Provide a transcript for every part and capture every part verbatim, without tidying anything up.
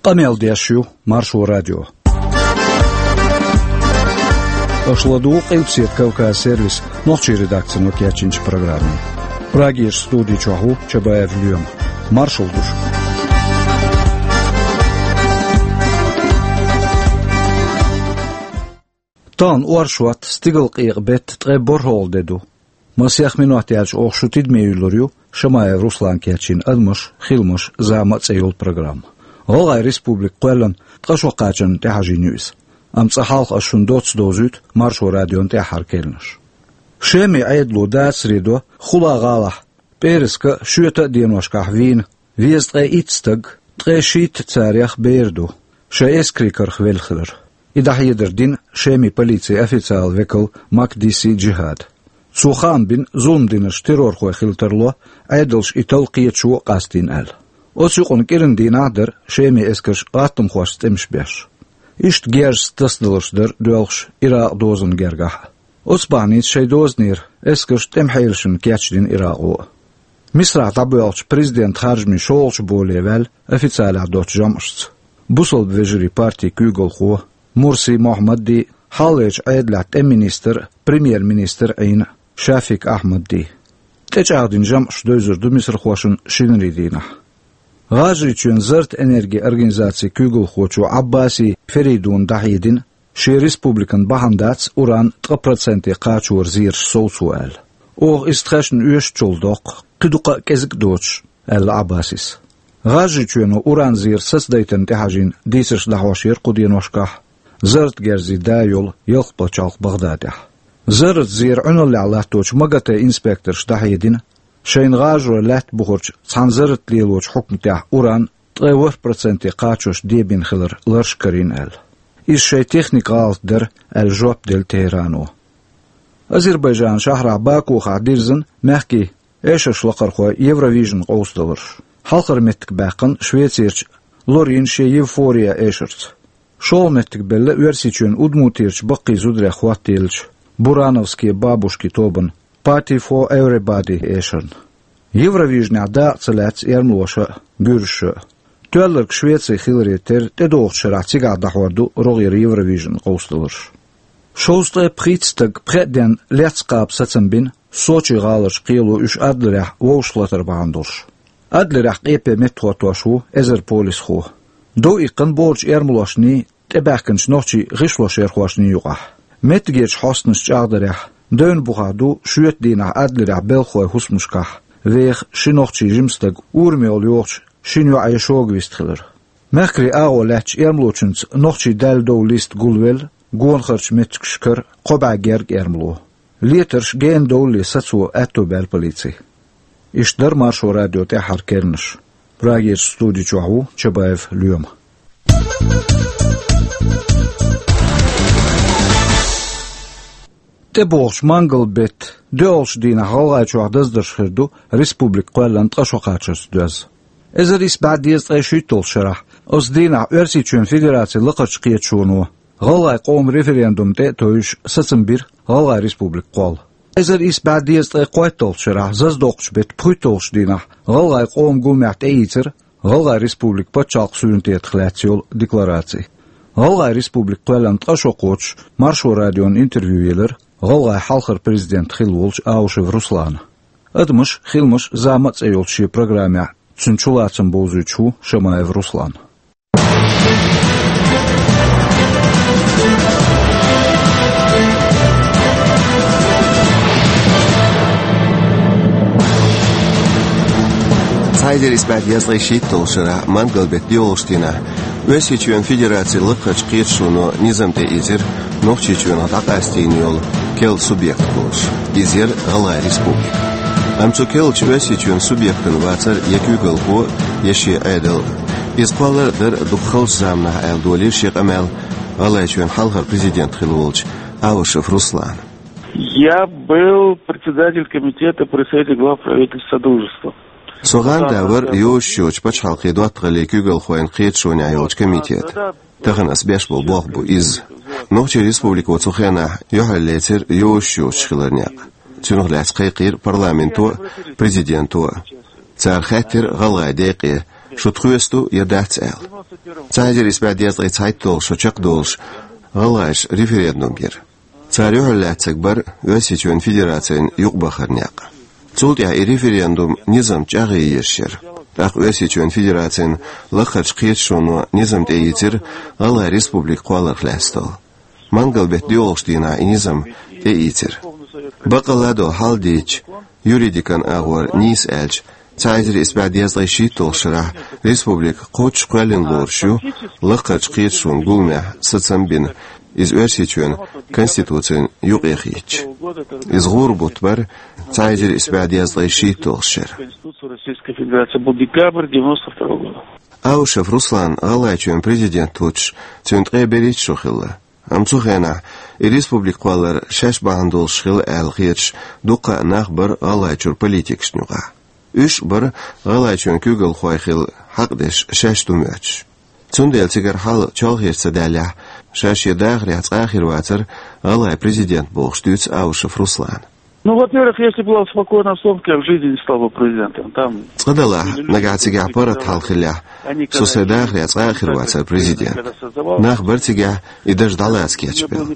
Къамел деш ю Маршо радио. Аша ладугӀу Къилбаседа Кавказ сервисан нохчийн редакцино кечйинчу программе. Прагерчу студи чохь ву Чабаев Лоьма. Маршалла ду шуьга. Тахана оршот, стигалкъекъа беттан ткъе борхӀалгӀа де ду. Масех минот яьлча оха шу тидаме юьллур ю Шамаев Руслана кечйина «Адамаш, хиламаш, зама» цӀе йолу программа. ГӀалгӀайн Республика кхоьллина ткъа шо кхачарна тӀехьажийна ю иза. Амма цкъа хьалха ас шуна доцца довзуьйту Маршо радион тӀаьххьара кхаьънаш. Шеман Ӏедало дацаре до Хула гӀалахь, пӀераска а, шоьта а деношкахь вийна везткъе итт стаг, ткъе шийтта царех бер ду, шайн эскарийн карах велла хилар. И дӀахьедар дина Шеман полицин официалан векало Макдиси Джихада. Цо хаам бина, зулам динарш террорхой хила тарло, Ӏедалша и талла кхеташо а къастийна аьлла. Оцу юкъана кӀиран дийнахь а дара Шеман эскарш гӀаттамхошца тӀемаш беш. Иштта герзаца тасадаларш дара доьлхуш Иракъан дозанна гергахь а. Оцу бахьаница шайн дозанера эскарш тӀеман хьелашна кечдина Иракъо а. Мисрахь дӀабоьлхучу президентан харжамийн шолгӀачу боле ваьлла официалехь доцучу жамӀашца бусалба вежарийн партин куьйгалхо Мурси Мохьмадди, хьалхарчу Ӏедалехь тӀеман министр а, премьер-министр а Ӏийна Шафик Ахьмадди. ТӀечӀагӀдина жамӀаш девзар ду мисрахошна шинарин дийнахь. ГӀажарийчоьнан «Зарт Энерги» организацин куьйгалхочо Ӏаббаси Феридуна дӀахьедина, шен республикана бахьана дац уран ткъа проценте кхачоран зераш совцо аьлла. Оха иза тхаьшна оьшучул доккху, кхин дукха а кӀезиг а доцуш, аьлла Ӏаббасис. ГӀажарийчоьно уран зераш сацадайтарна тӀехьажийна дийцарш дӀахьош яра кху деношкахь Зарт герзийн да йолу ялх пачхьалкх БагӀдадехь. Зарратан зеран Ӏуьналлехь латточу МАГАТЭ инспекторша дӀахьедина, шайна гӀажарой лаьтта бухарчу цхьана зарратан лелочу хьукматехь уран ткъе ворхӀ проценте кхачош дебина хилар ларш карийна аьлла. Иза шайн техникан гӀалат дара аьлла жоп делла Тегерано. Азербайджанан шахьарахь Бакухахь дирзина мехкийн эшарш лакхархой Евровижн къовсадаларш. Хьалхара меттиг баьккхина Швецерчу Лорина шен «Евфория» эшарца. ШолгӀа меттиг белла Оьрсийчоьнан Удмуртийчу баккхий зударех хӀоттаеллачу «Бурановские бабушки» тобан «Party for Everybody» эшарна. Евровижнехь дакъа ца лаьцна эрмалоша а, гуьржаша а. Тоьлларг Швеци хиларе терра, тӀедогӀучу шарахь цигахь дӀахьор ду рогӀера Евровижн къовсадаларш. Шовзткъе пхийтта стаг пхеа денна лецна кхаба сацам бина Сочи гӀаларчу кхело уьш Адлерехь вовшахлатар бахьана долуш. Адлерехь къепе меттахӀоттош ву эзар полисхо. Дов иккхина бохурчу эрмалошний, тӀебаьхкинчу нохчийн гӀишлошъярхошний юкъахь. Меттигерчу хьостанаша чӀагӀдарехь, девнан бухахь ду шоьтан дийнахь Адлерехь белхалойн хӀусамашкахь веха ши нохчийн жима стаг ураме йолу йогӀучу шина йоӀе шога вист хилар. Мехкарийн агӀо лаьттачу эрмалочуьнца нохчийн даьлла довла лист гулвелла гонахарчу меттигашкара кхо бӀе герга эрмало. Летарш генадовлале сацо аьтто баьлла полици. Иштта дара Маршо радион тӀаьххьара кхаьънаш. Прагерчу студи чохь ву Чабаев Лоьма. ТӀебогӀучу мангал-беттан доьалгӀачу дийнахь ГӀалгӀайчохь даздарш хир ду республика кхоьллина ткъа шо кхачарца доьзна. Эзар исс бӀе дезткъе шийтталгӀачу шарахь оцу дийнахь Оьрсийчоьнан Федерацин Лакхарчу Кхеташоно гӀалгӀайн къоман референдум тӀе а тевжаш сацам бира ГӀалгӀайн Республика кхолла. Эзар исс бӀе дезткъе кхойтталгӀачу шарахь заздоккхучу беттан пхийтталгӀачу дийнахь ГӀалгӀайн къоман гуллехь тӀеийцира ГӀалгӀайн Республикан пачхьалкхан суверенитетах лаьцна йолу деклараци. ГӀалгӀайн Республика кхоьллина ткъа шо кхочуш Маршо радиона интервью елира ГӀалгӀайн хьалхара президент хилла волчу Аушев Руслана. «Адамаш, хиламаш, зама» цӀе йолчу шен программехь цуьнан чулацам бовзуьйтуш ву Шамаев Руслан. Цхьа эзар исс бӀе дезткъе шийтталгӀачу шарахь мангал-беттан доьалгӀачу дийнахь Оьрсийчоьнан Федерацин Лакхарчу Кхеташоно низам тӀеийцира Нохчийчоьнах дӀакъастийна йолу керла субъект волуш. Иза яра ГӀалгӀайн Республика. Амма цу керлачу Оьрсийчоьнан субъектана вацара я куьйгалхо, я шен Ӏедал. Иза кхоллар а дара дукха халчу заманахь, аьлла, долийра шен къамел ГӀалгӀайчоьнан хьалхара президент хилла волчу Аушев Руслана. Я был председатель комитета при Совете глав правительств Содружества. Со гӀанда вара йозуш йоцчу пачхьалкхийн доттагӀаллин куьйгалхойн кхеташонехь йолчу комитета. Тахана ас беш болу болх бу иза. Нохчийн Республико цу хенахь юьхьарлецира йозуш йоцуш хилар некъ. Цунах лаьцна кхайкхийра парламенто а, президенто а. Цара хаьттира ГӀалгӀайн декъе, шу тхоьца ду я дац аьлла. Цхьа эзар исс бӀаь дезткъе цхьайтталгӀа шо чакхдолуш гӀалгӀаша референдум йира. Цара юьхьарлаьцнарг бара Оьрсийчоьнан Федерацина юкъабахаран некъ. Цул тӀаьхьа и референдум низам чӀагӀъе езаш яра. ТӀаккха Оьрсийчоьнан Федерацин лакхарчу кхеташоно низам тӀеийцира ГӀалгӀайн Республика кхолларх лаьцна долу. Мангал-беттан доьалгӀачу дийнахь и низам тӀеийцира. Баккъалла а долу хьал дийцича, юридикан агӀор нийса аьлча, цхьа эзар исс бӀаь дезткъе шийтталгӀачу шарахь республика кхоччуш кхоьллина лоруш ю, лакхарчу кхеташонан гуламехь сацам а бина, иза Оьрсийчоьнан Конституцина юкъе хиъча. Иза гӀуран бутт бара цхьа эзар исс бӀаь дезткъе шийтталгӀачу шеран. Конституция Российской Федерации был декабрь девяносто второго года. Аушев Руслан ГӀалгӀайчоьнан президент хӀуттуш, цуьнан ткъе берхӀитта шо хилла. Амма цу хенахь и республика кхоллар шаьш бахьана долуш хилла аьлла хеташ дуккха а нах бара ГӀалгӀайчуьра политикашна юкъахь. Уьш а бара ГӀалгӀайчоьнан куьйгалхой хила хьакъ деш шаьш ду моьттуш. Цундела цигара хьал чолхе ца даьллехь, ша шен дахарехь цкъа а хир вацара ГӀалгӀайн президент бохуш дуьйцу Аушев Руслана. Ну, во-первых, если была спокойная обстановка, я в жизни не стал бы президентом. Там Цкъа-делахь, нагахь цигахь паргӀат хьал хиллехь, со сайн дахарехь цкъа а хир вацара президент. Нах бара цигахь, и даржа дӀалаца кечбелла.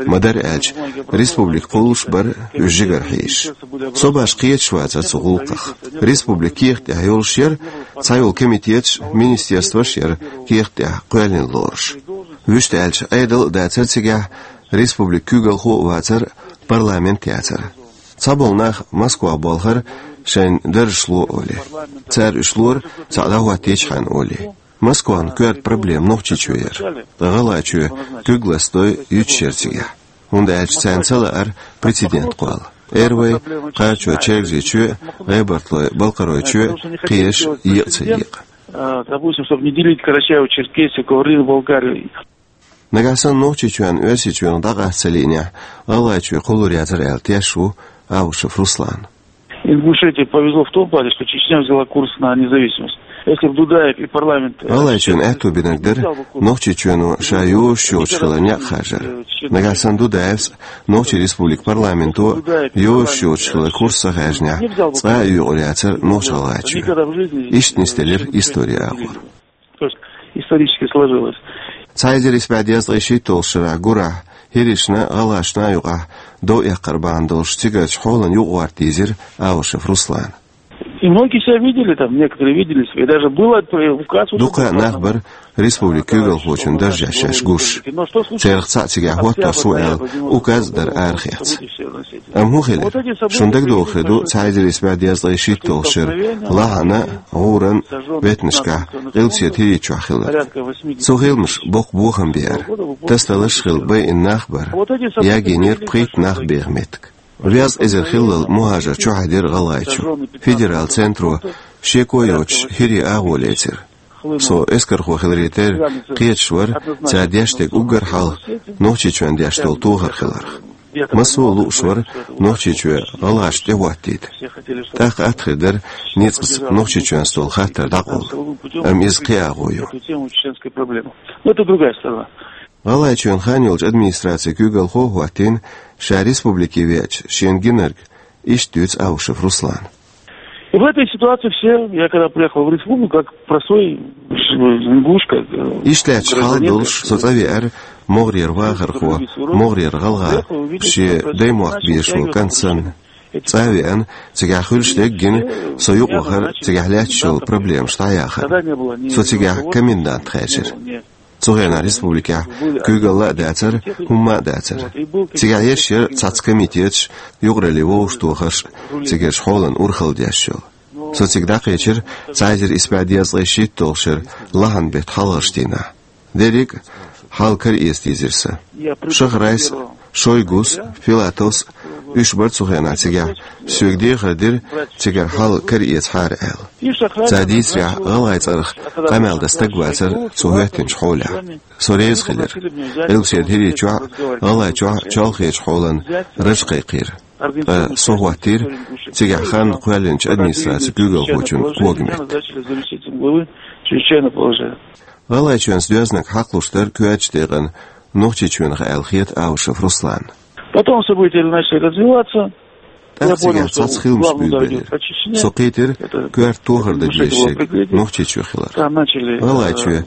Ма-дарра аьлча, республика кхуллуш бара уьш жигара хьийзаш. Со башха кхеташ вацара цу гӀуллакхах. Республика кехат тӀехь йолуш яра, цхьайолу комитеташ, министерстваш а яра кехат тӀехь кхоьллина лоруш. Вуьшта аьлча, Ӏедал а дацара цигахь, республикан куьйгалхо а вацара, парламент а яцара. Цхьаболу нах Москвахь болхура шайн даржаш ло олий. Цара уьш лора, цхьаъ дӀахӀоттийчхьана олий. Москван коьрта проблема Нохчийчоь яра. Ткъа ГӀалгӀайчоь куьг ластадой юьтуш яра цигахь. ХӀунда аьлча царна ца лаьара прецедент кхолла. Эрвай, кхарачой-чергазийчоь, гӀебарталой-балкхаройчоь кхераш екъа ца екъа. А, допустим, чтобы не делить Карачаево-Черкесию, Каврин, Болгарию. Нагахь санна Нохчийчоьнна Оьрсийчоьнах дӀакъаста ца лиънехь, ГӀалгӀайчоь кхуллур яцара аьлла тешаш ву Аушев Руслана. Ингушетии повезло в том плане, что Чечня взяла курс на независимость. Если бы Дудаев и парламент, э, ГӀалгӀайчоьнан аьтто бинарг дара, Нохчийчоьно ша йозуш йоцуш хиларна некъ харжар. Нагахь санна Дудаевс а, Нохчийн Республикан парламенто а йозуш йоцуш хиларна курс ца хаьржинехь, цкъа а йоькъур яцара Нохч-ГӀалгӀайчоь. Иштта нисделира историн агӀор. То есть исторически сложилось. Цхьа эзар исс бӀе дезткъе шийтталгӀачу шарахь гурахь хӀиришна а, гӀалгӀашна а юкъахь дов эккхар бахьана долуш цигарчу хьолан юкъагӀорта дийзира Аушев Руслана. И многие себя видели там, некоторые видели себя. И даже было, э, указ. Дукха а нах бара республикан куьйгалхочун даржехь шаьш гуш. Царах цхьаъ цигахь хӀоттош ву аьлла, указ а дара арахецна. Амма хӀун хилира? Шуна дагадогӀу хир ду, цхьа эзар исс бӀе дезткъе шийтталгӀачу шеран лахьанан а, гӀуранан а беттанашкахь Къилбаседа ХӀирийчохь хилларг. Цу гӀиламаша боккха бохам беара. Тасадаларш а хилла байина нах а бара. Ягийнера пхийтта нах беха меттиг. Везткъа эзар хиллал мухӀажар чухьаьдира ГӀалгӀайчу. Федералан центро шеко а йоцуш хӀирийн агӀо лецира. Со эскархо хиларе терра кхеташ вара, цара деш дерг уггар хьалха Нохчийчоьнна деш долу тохар хиларх. Массо а лууш вара Нохчийчоь гӀалгӀашна тӀехӀоттийта. ТӀаккха атта хир дара ницкъаца Нохчийчоьнца долу хаттар дӀакъовла. Амма иза кхин агӀо ю. Ну, это другая сторона. ГӀалгӀайчоьнан хан йолчу администрацин куьйгалхо а хӀоттийна, ша республике веача шена гинарг, иштта дуьйцу Аушев Руслана. В этой ситуации все, я когда приехал в республику, как простой ингуш, как, э, гражданин, как, э, Иштта лаьтташ хьал долуш, со цӀа веара могӀарера вахархо, могӀарера гӀалгӀа, шен даймохк безаш волу кӀант санна. ЦӀа а веана, цигахь хуьлуш дерг а гина, со юкъавахара цигахь лаьтташ йолу проблемаш дӀаяхарна. Со цигахь комендант хаьржира. Цу хенахь республикехь куьйгалла а дацара, хӀумма а дацара. Цигахь еш яра цхьацца комитеташ, юкъараллин вовшахтохарш, цигарчу хьолан урхалла деш йолу. Со цига дӀакхечира цхьа эзар исс бӀе дезткъе шийтталгӀачу шеран лахьанан беттан хьалхарчу дийнахь. Дерриг а хьал караэца дийзира сан. Шахрайс а, Шойгус а, Филатовс а, уьш бара цу хенахь цигахь, соьга дехар дира, цигара хьал караэцахьара аьлла. Цара дийцарехь, гӀалгӀай цӀарах къамел дан стаг вацара цо хӀоьттинчу хьолехь. Со реза хилира. Къилбаседа ХӀирийчохь а, ГӀалгӀайчохь а чолхечу хьолан раж кхайкхийра. Ткъа со хӀоттийра цигахь хан кхоьллинчу администрацин куьйгалхочун когаметта. ГӀалгӀайчоьнца доьзнаг хьакхалуш дара коьртачу декъана Нохчийчоьнах аьлла хета Аушев Русланна. Потом события начали развиваться. ТӀаккха цигахь цхьацца хиламаш буьйлабелира. Со кхийтира коьрта тохар дан дезаш ерг Нохчийчоь хилар. ГӀалгӀайчоь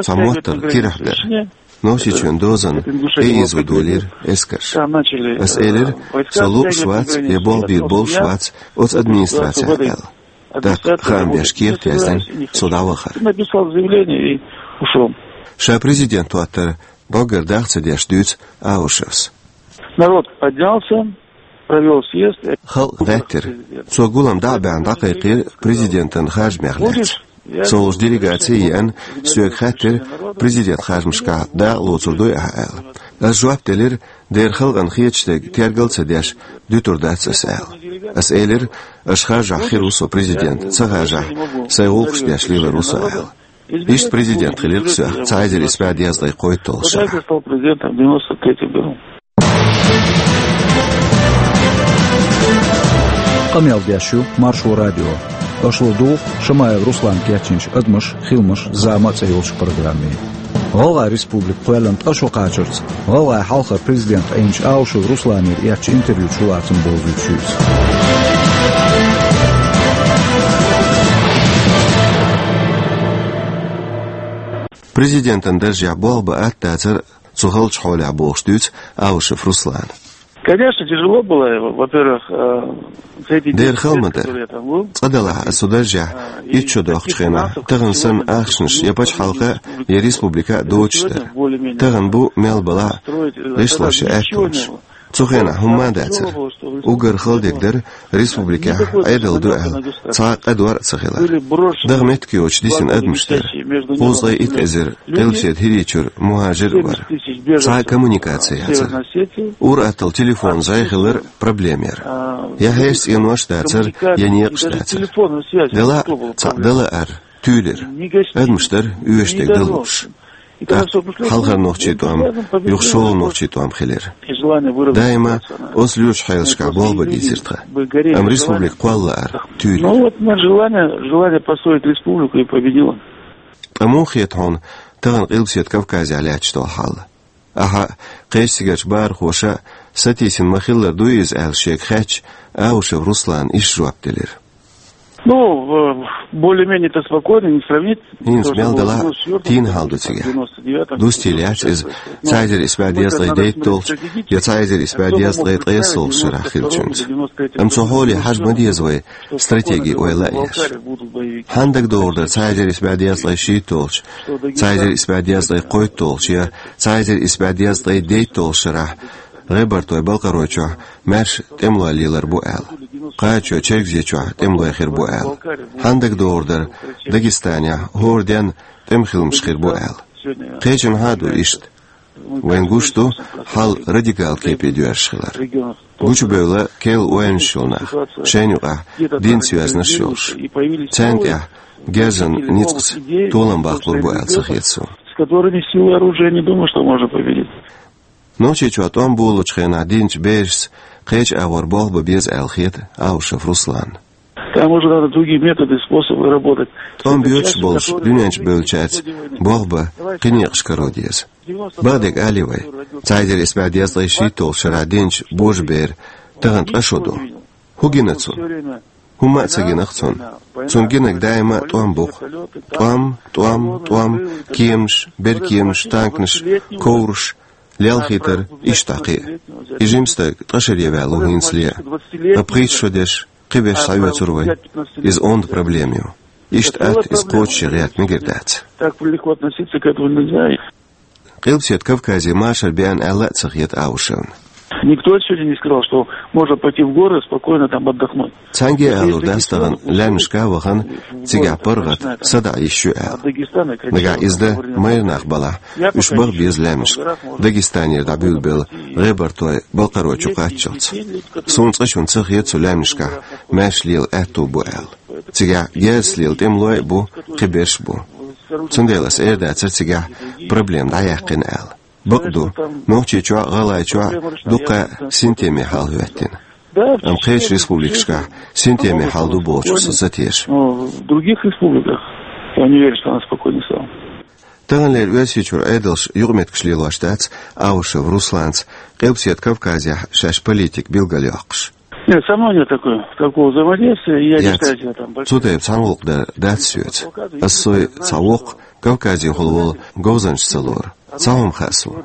цхьа моттаргӀа кирахь дара. Нохчийчоьнан дозанна тӀеийзо долийра эскарш. Ас элира, со лууш вац, я болх бийр болуш вац оцу администрацехь аьлла. ТӀаккха хаам беш кехат яздина, со дӀавахара. Ша президент хӀоттар дӀоггара дах ца деш дуьйцу Аушевс. Народ поднялся, провёл съезд. Халкъ гӀеттира. Цо гулам дӀа а баьхна дӀакхайкхийра президентан харжамех лаьцна. Со волчу делегаци а еана, соьга хаьттира, президент харжамашкахь дакъа лоцур дуй ахьа аьлла. Ас жоп делира, дера халкъана хеташ дерг тергал а ца деш, дуьтур дац ас аьлла. Ас элира, аша харжахь хир ву со президент, ца харжахь, сайн гӀуллакхаш деш лелар ву со аьлла. Иштта президент хилира соьх цхьа эзар исс бӀе дезткъе кхойтталгӀа шарахь. Къамел деш ю Маршо радио. Аша ладугӀу Шамаев Руслана кечйинчу «Адамаш, хиламаш, зама» цӀе йолчу программе. ГӀалгӀай республика кхоьллина ткъа шо кхачарца, гӀалгӀайн хьалхара президент Ӏийначу Аушев Русланера эцначу интервьючу лаьцна бовзуьйтуш ю иза. Президентан даржехь болх бан атта дацара цу халчу хьолехь бохуш дуьйцу Аушев Руслана. Конечно, тяжело было, во-первых, э, за эти десять лет, которые я там был, цкъа делахь аса цу даржехь итт шо доккхучу хенахь, тахана санна ахчанаш я пачхьалкха, я республика доцуш дара. Тахана бу мел балахь гӀишлош я аьттонаш. Цу хенахь хӀумма а дацара. Уггар хала дерг дара республикехь Ӏедал ду аьлла цхьа а къа дор а ца хилар. Даха меттиг йоцуш дисина адамаш дара. Кхузткъе итт эзар къилбаседа ХӀирийчуьра мухӀажир а вара. Цхьа а коммуникаци яцара. Ур-атталла телефон зӀе хилар проблема яра. Я хьешан цӀенош а дацара, я некъаш а дацара. Делахь а цхьаъ дала ара туьйлира. Адамаш дара оьшуш дерг далуш. ТӀаккха хьалхара нохчийн тӀом юха шолгӀа нохчийн тӀом хилира. Даима оцу лоьрачу хьелашкахь болх бан дийзира тхан. Амма республика кхолла лаара туьйлира. Ну вот, желание, желание построить республику и победило. Ткъа муха хета хьуна тахана Къилбаседа Кавказехь лаьтташ долу хьал? Ахьа, кхечу цигарчу бахархоша сатийсина ма-хиллара дуй иза аьлла шега хаьттича, Аушев Руслана иштта жоп делира. Ну, э, более-менее-то спокойно, не сравнить. ХӀинца мел далахь а тийна хьал ду цигахь. Дустийла яц иза цхьа эзар исс бӀе дезткъе дейтталгӀачу я цхьа эзар исс бӀе дезткъе ткъайоьсналгӀачу шарахь хиллачуьнца. Амма цу хьоле хьажа ма деза вай стратеги ойла а еш. Хьанна дагадогӀур дара цхьа эзар исс бӀе дезткъе шийтталгӀачу, цхьа эзар исс бӀе дезткъе кхойтталгӀачу я цхьа эзар исс бӀе дезткъе дейтталгӀачу шарахь ГӀебартойн-Балкхаройчохь маьрша тӀемалой лелар бу аьлла. Кхачо Чергазийчохь тӀемалой хир бу аьлла. Хьанна дагадогӀур дара Дагестанехь хӀора денна тӀеман хиламаш хир бу аьлла. Кхечанхьа а ду иштта. Вайн гуш ду хьал радикал кепе доьрзуш хилар. Гучубевлла керла ойланаш йолу нах, шайна юкъахь динца йоьзнарш йолуш. Царна тӀехь герзан ницкъаца толам баккхалур бу аьлла ца хета суна. С которыми силой оружия не думаю, что можно победить. Нохчийчохь тӀом болучу хенахь динчу берашца кхечу агӀор болх бан беза аьлла хета Аушев Русланна. Там уже надо другие методы, способы работать. ТӀом боьдуш болуш дуьнен чу бевллачаьрца болх бан кхин некъаш каро деза. Бакъдерг алий вай, цхьа эзар исс бӀе дезткъе шийтталгӀачу шарахь динчу божаберан тахана ткъа шо ду. ХӀун гина цунна? ХӀумма а ца гина-кх цунна. Цунна гинарг даима а тӀом бу-кх. ТӀом, тӀом, тӀом, кеманаш, беркеманаш, танканаш, ковраш, лелхийтар, иштта кхин а. И жима стаг ткъа шаре ваьлла ву хӀинцале а. Ткъа пхийтта шо дерш, кхин берш схьаоьцур вай. Иза онда проблема ю. Иштта атта иза кхочушъян гӀерта мегар дац. Так легко относиться к этому нельзя. Къилбаседа Кавказе машар беана аьлла а ца хета Аушевна. Никто сегодня не сказал, что можно пойти в горы, спокойно там отдохнуть. Цхьаьнгге а алур дац тахана лаьмнашка а вахана, цигахь паргӀат, садаӀа йиш ю аьлла. Нагахь иза дан майра нах балахь, уьш баха беза лаьмнашка, Дагестанера дӀабуьйлабелла ГӀебартойн-Балкхарой чу кхаччалц. Суна цкъачунна ца хета цу лаьмнашкахь маьрша лела аьтту бу аьлла. Цигахь герзаца лела тӀемалой а бу, кхин берш а бу. Цундела аса эр дацара цигахь проблема дӀаяьккхина аьлла. Бакъ ду, Нохчийчохь а, ГӀалгӀайчохь а дуккха а синтеме хьал хӀоьттина. Амма кхечу республикашкахь синтеме хьал ду бохучух со ца теша. Но в других республиках я не верю, что она спокойно стала. Таханлера Оьрсийчуьра Ӏедалша юкъаметтигаш лелош дац Аушев Русланца, Къилбаседа Кавказехь шаьш политика билгалйоккхуш. Нет, со мной нет такой, такого взаимодействия, и я не Яц. считаю себя там большим. Цу тайпа цхьана гӀуллакх дар дац соьца. Ас сой цхьа воккха Кавказехула волу говзанча ца лору. Цхьа хӀума хаьа суна.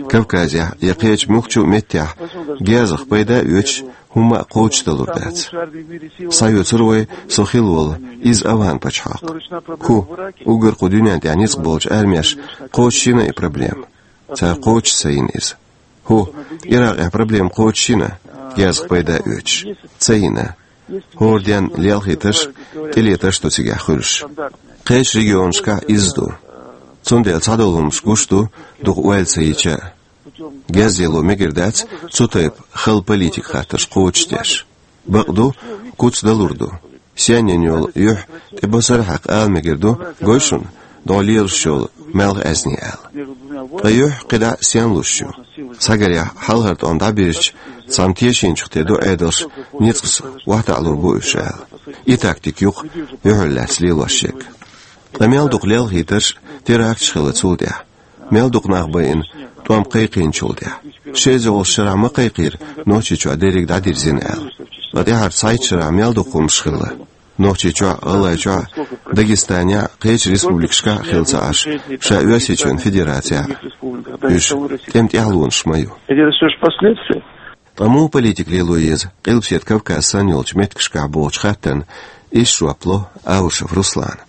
Кавказехь я кхечу муьлххачу а меттехь гезах пайда а оьцуш, хӀумма а кхочушдалур дац. Схьаоьцур вай со хилла волу, иза Афган-пачхьалкх. ХӀу, уггар кху дуьнен тӀехь ницкъ болчу армеш кхочушйина и проблема? Цара кхочуш ца йина иза. ХӀу, Иракъехь проблема кхочушйина, гезах пайда оьцуш? Ца йина. ХӀора денна лелхийтарш, тӀелетарш ду цигахь хуьлуш. Кхечу регионашкахь иза ду. Цундела цхьадолу хӀуманаш гуш ду, дукха ойла ца йича а. Гез лело мегар дац цу тайпа хала политика хаттарш кхочушдеш. Бакъ ду, куц далур ду. Сенна йолу юьхь тӀе босара хьаькхна ала мегар ду, гой шуна, дӀо лелаш йолу маьлхан аьзне аьлла. Ткъа юьхь кхидӀа сенна луш ю? Схьагарехь хьалхара тӀом дӀабирзича, цхьамма тешийначух тӀе ду Ӏедалш, ницкъаца охьатаӀалур бу уьш аьлла. И тактика ю-кх юьхьал лаьцна лелош ерг. Ткъа мел дукха лелхийтарш, теракташ хилла цул тӀаьхьа. Мел дукха нах байина тӀом кхайкхийначул тӀаьхьа. Ши эзар шолгӀачу шарахь ма кхайкхийра Нохчийчохь дерриг дӀадирзина аьлла. Ткъа тӀаьххьара цхьайтта шарахь мел дукха хӀуманаш хилла. Нохчийчохь, ГӀалгӀайчохь, Дагестанехь, кхечу республикашкахь а хилла ца Ӏаш, ша Оьрсийчоьнан Федерацехь уьш тӀеман тӀаьхьалонаш ма ю. Это всё же последствия. Ткъа муха политика лело еза Къилбаседа Кавказ санна йолчу меттигашкахь бохучу хаттарна иштта жоп ло Аушев Руслана.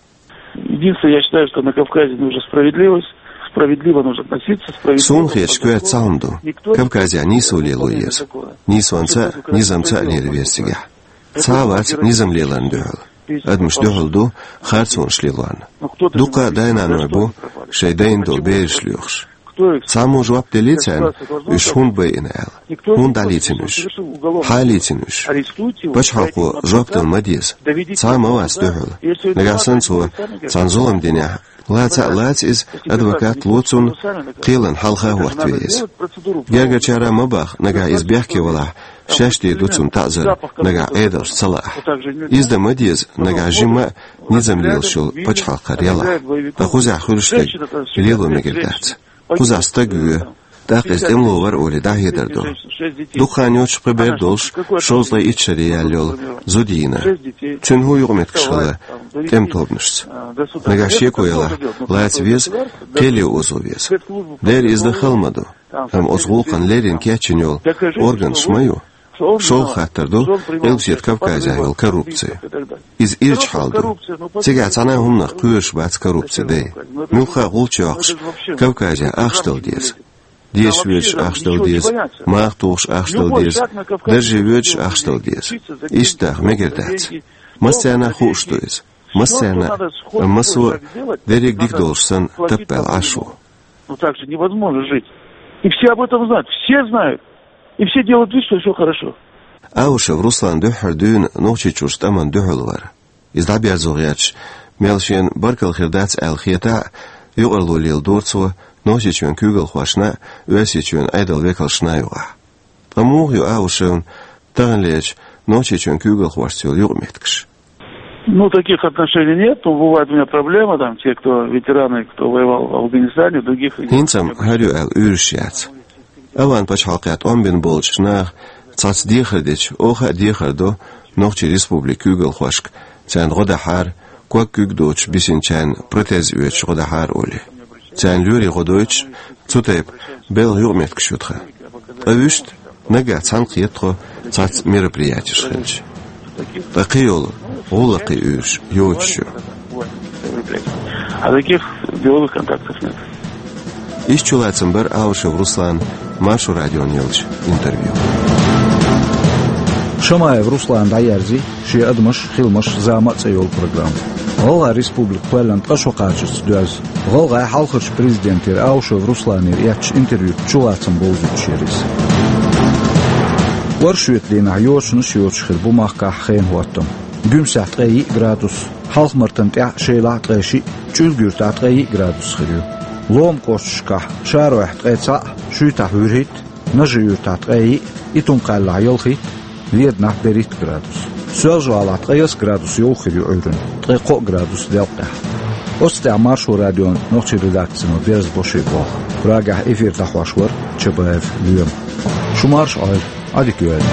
Единственное, я считаю, что на Кавказе нужна справедливость, справедливо нужно относиться, справедливо. Суна хеташ коьрта цхьа хӀума ду. Кавказехь нийсо лело еза. Нийсонца а, низамца а лела веза цигахь. Цхьа а вац низам леларна дуьхьал. Адамаш дуьхьал ду харцонаш лелорна. Дуккха а дай-наной бу шайн дайна долу бераш лоьхуш. Цхьаммо жоп деллий царна, уьш хӀунда байина аьлла? ХӀунда дӀалийцина уьш? Хьан лийцина уьш? Пачхьалкхо жоп дала ма деза. Цхьа а ма вац дуьхьал. Нагахь санна цо цхьана зулам динехь, лаца а лаца иза, адвокат ло цунна, кхелан хьалха хӀоттаве иза. Гергарчара ма баха, нагахь иза бехке валахь, шаьш дийр ду цунна таӀзар, нагахь Ӏедалш ца лаахь. Иза дан ма деза, нагахь жимма а низам лелаш йолу пачхьалкх хир ялахь. Ткъа кхузахь хуьлуш дерг лело мегар дац. Кхузахь стаг воь, тӀаккха иза тӀемало вара олий дӀахьедар ду. Дукха хан йоцуш кхин бер долуш, шовзткъе итт шаре яьлла йолу зуда йийна. Цуьнан хӀун юкъаметтигаш хилла тӀеман тобанашца? Нагахь шеко ялахь, лаца веза, кхеле озо веза. Дера иза дан хала ма ду. Амма оцу гӀуллакхана леррина кечйина йолу органаш ма ю. ШолгӀа хаттар ду Къилбаседа Кавказехь йолу коррупци. Иза ирча хьал ду. Цигахь цхьана а хӀуманах кхоьруш бац коррупци дай. Муьлхха а гӀулч йоккхуш, Кавказехь ахча дала деза. Дешаш воьдуш ахча дала деза, маха тухуш ахча дала деза, дарже воьдуш ахча дала деза. Иштта даха мегар дац. Массарна а хууш ду иза. Массарна а, амма массо а дерриг дика долуш санна таппаьлла Ӏаш ву. Ну так же невозможно жить. И все об этом знают, все знают. И все делают вид, что всё хорошо. Аушев Руслан дуьххьара дуьйна Нохчийчуьрчу тӀамна дуьхьал вара. Иза дӀаберзо гӀерташ, мел шена баркалла хир дац аьлла хетахь а, юкъарло леладора цо Нохчийчоьнан куьйгалхошна а, Оьрсийчоьнан Ӏедалан векалшна а юкъахь. Ткъа муха ю Аушевна таханлерчу Нохчийчоьнан куьйгалхошца йолу юкъаметтигаш? Ну, таких отношений нет. Ну, бывает у меня проблема, там, те, кто ветераны, кто воевал в Афганистане, в других регионах. ХӀинца-м хӀара ю аьлла уьйраш яц. Афган пачхьалкхехь тӀом бина болчу наха цхьацца дехар дича, оха а дехар до Нохчийн республикан куьйгалхошка, царна гӀо дахьара, ког куьг доцуш бисинчарна протез оьцуш гӀо дахьара олий. Царна лоьрийн гӀо дойтуш, цу тайпа белхан юкъаметтигаш ю тхан. Ткъа вуьшта наггахь цхьаьна кхета тхо цхьацца мероприятеш хилча. Ткъа кхин йолу гӀуллакхийн уьйраш йоцуш ю. А таких деловых контактов нет. Иштта чулацам бара Аушев Руслана Маршо радиона еллачу интервью. Шамаев Руслана дӀаерзи шен «Адамаш, хиламаш, зама» цӀе йолу программа. ГӀалгӀайн республика кхоьллина ткъа шо кхачарца доьзна. ГӀалгӀайн хьалхарчу президентера Аушев Русланера эцначу интервьюца чулацам бовзуьйтуш яра иза. Оршотан дийнахь йочанаш йоцуш хир бу махкахь хенан хӀоттам. Гуьмсехь ткъе йиъ градус, Хьалха-Мартан тӀехь, Шелахь ткъе шиъ, ЧӀуьлгуьртахь ткъе йиъ градус хир ю. Лома кӀошташкахь, Шаройхь ткъе цхьаъ, Шуьйтахь вуьрхӀитта, Нажи-Юьртахь ткъе йиъ, Итум-Кхаьллахь ялхитта, Веданахь берхӀитта градус. Соьлжа-ГӀалахь ткъе ялх градус йовха хир ю Ӏуьйранна, ткъе кхоъ градус делкъехь. Оцу тӀехь Маршо радион нохчийн редакцино берзабо шен болх. Прагахь эфир дӀахьош вара Чабаев Лоьма. Шу марша Ӏойла, Ӏадика йойла.